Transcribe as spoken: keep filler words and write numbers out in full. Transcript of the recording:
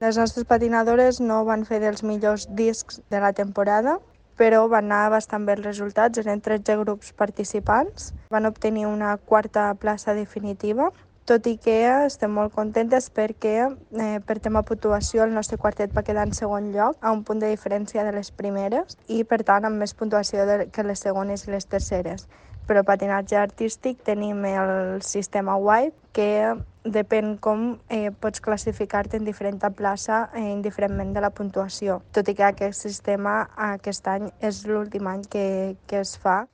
Les nostres patinadores no van fer dels millors discs de la temporada, però van anar bastant bé els resultats. Eren tretze grups participants. Van obtenir una quarta plaça definitiva, tot i que estem molt contentes perquè eh, per tema puntuació el nostre quartet va quedar en segon lloc, a un punt de diferència de les primeres, i per tant amb més puntuació de, que les segones i les terceres. Però patinatge artístic tenim el sistema White, que depèn com eh, pots classificar-te en diferent plaça eh, indiferentment de la puntuació, tot i que aquest sistema aquest any és l'últim any que, que es fa.